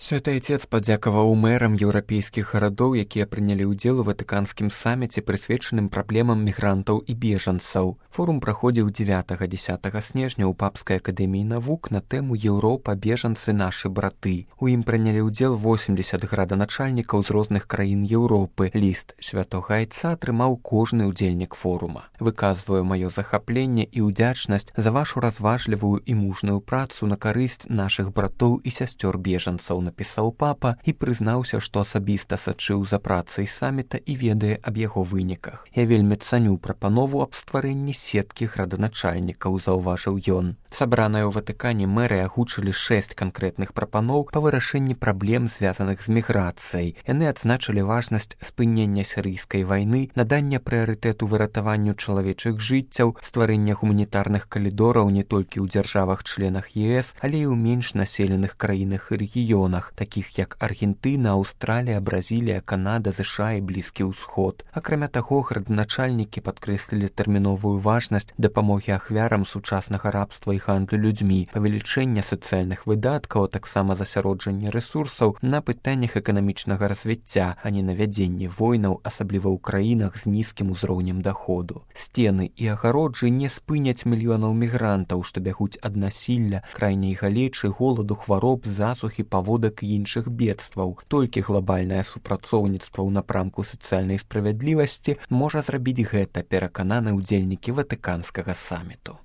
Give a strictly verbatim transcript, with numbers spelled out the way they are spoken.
Святы Отец падзякаваў мэрам еўрапейскіх гарадоў, якія прынялі ўдзел у ватыканскім саміце, прысвечаным праблемам мігрантаў і бежанцаў. Форум праходзіў дзевятага-дзесятага снежня ў Папскай акадэміі навук на тэму «Еўропа, бежанцы, нашы браты». У ім прынялі ўдзел восемдзесят граданачальнікаў з розных краін Еўропы. Ліст святога Айца атрымаў кожны ўдзельнік форума. Выказваю маё захапленне і ўдзячнасць за вашу разважлівую і мужную працу на карысць нашых братоў і сясцёр бежанцаў, напісаў папа і прызнаўся, што асабіста сачыў за працай саміта і ведае аб яго выніках. Я вельмі цаню прапанову аб стварэнні сеткі граданачальнікаў, заўважыў ён. Сабраныя ў Ватыкане мэры агучылі шэсць канкрэтных прапаноў па вырашэнні праблем, звязаных з міграцыяй. Яны адзначылі важнасць спынення сірыйскай вайны, надання прыярытэту выратаванню чалавечых жыццяў, стварэння гуманітарных калідораў не толькі ў дзяржавах-членах ЕС, але і ў менш населеных краінах і рэгіёнах, такіх як Аргентына, Аўстралія, Бразілія, Канада, ЗША і Блізкі ўсход. Акрамя таго, граданачальнікі падкрэслілі тэрміновую важнасць дапамогі ахвярам сучаснага рабства і гандлю людзьмі, павелічэння сацыяльных выдаткаў, а таксама засяроджання рэсурсаў на пытаннях эканамічнага развіцця, а не на вядзенне войнаў, асабліва ў краінах з нізкім узроўнем даходу. Сцены і агароджы не спыняць мільёнаў мігрантаў, што бягуць ад насілля, крайняй галечы, голаду, хвароб, засухі, паводак і іншых бедстваў. Толькі глобальнае супрацоўніцтва ў напрамку сацыяльнай справядлівасці можа зрабіць гэта, перакананы ўдзельнікі ватыканскага саміту.